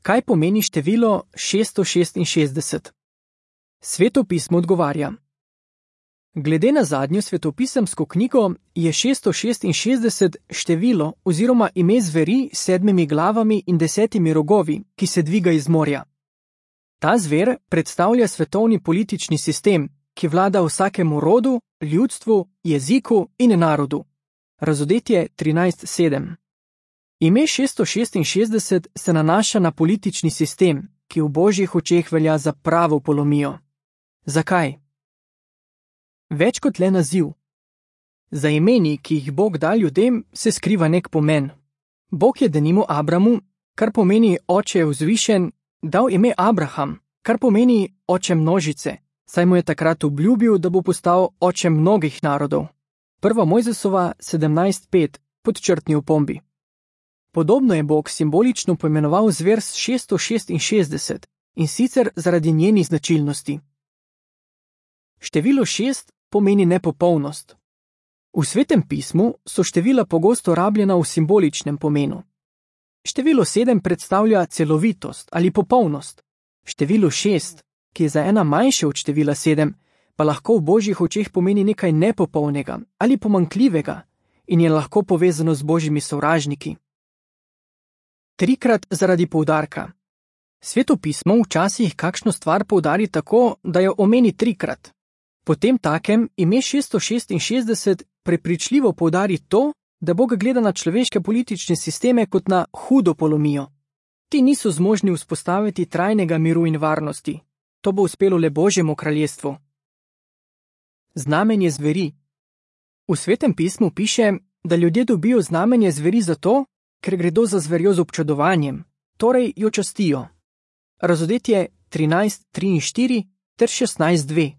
Kaj pomeni število 666? Sveto pismo odgovarja. Glede na zadnjo svetopisemsko knjigo je 666 število oziroma ime zveri s 7 glavami in 10 rogovi, ki se dviga iz morja. Ta zver predstavlja svetovni politični sistem, ki vlada vsakemu rodu, ljudstvu, jeziku in narodu. Razodetje 13.7. Ime 666 se nanaša na politični sistem, ki v božjih očeh velja za pravo polomijo. Zakaj? Več kot le naziv. Za imeni, ki jih Bog da ljudem, se skriva nek pomen. Bog je denimo Abramu, kar pomeni oče je vzvišen, dal ime Abraham, kar pomeni oče množice, saj mu je takrat obljubil, da bo postal oče mnogih narodov. 1. Mojzesova 17.5, podčrtni opombi. Podobno je Bog simbolično poimenoval zver s 666, in sicer zaradi njenih značilnosti. Število 6 pomeni nepopolnost. V Svetem pismu so števila pogosto rabljena v simboličnem pomenu. Število 7 predstavlja celovitost ali popolnost. Število 6, ki je za ena manjše od števila 7, pa lahko v božjih očeh pomeni nekaj nepopolnega ali pomanjkljivega in je lahko povezano z božjimi sovražniki. Trikrat zaradi poudarka. Sveto pismo včasih kakšno stvar poudari tako, da jo omeni trikrat. Potem takem ime 666 prepričljivo poudari to, da Bog gleda na človeške politične sisteme kot na hudo polomijo. Ti niso zmožni vzpostaviti trajnega miru in varnosti. To bo uspelo le Božjemu kraljestvu. Znamenje zveri. V Svetem pismu piše, da ljudje dobijo znamenje zveri zato, ker gredo za zverjo z občudovanjem, torej jo častijo. Razodetje 13.3.4 ter 16.2.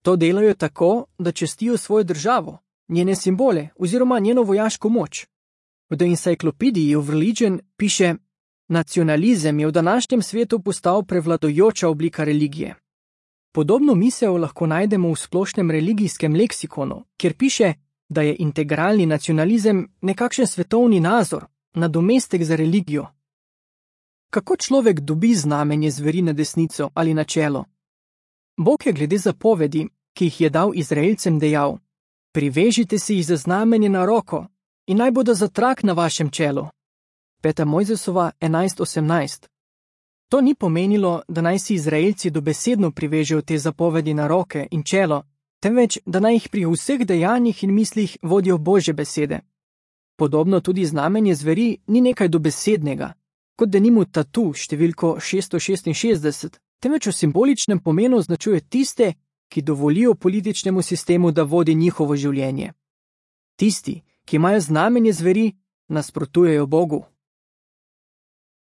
To delajo tako, da častijo svojo državo, njene simbole oziroma njeno vojaško moč. V The Encyclopedia of Religion piše: nacionalizem je v današnjem svetu postal prevladujoča oblika religije. Podobno misel lahko najdemo v splošnem religijskem leksikonu, kjer piše, da je integralni nacionalizem nekakšen svetovni nazor, nadomestek za religijo. Kako človek dobi znamenje zveri na desnico ali na čelo? Bog je glede zapovedi, ki jih je dal Izraelcem, dejal: privežite si jih za znamenje na roko in naj bodo za trak na vašem čelu. 5. Mojzesova 11.18. To ni pomenilo, da naj si Izraelci dobesedno privežejo te zapovedi na roke in čelo, temveč da naj jih pri vseh dejanjih in mislih vodijo Božje besede. Podobno tudi znamenje zveri ni nekaj dobesednega, kot denimo tatu številko 666, temveč v simboličnem pomenu označuje tiste, ki dovolijo političnemu sistemu, da vodi njihovo življenje. Tisti, ki imajo znamenje zveri, nasprotujejo Bogu.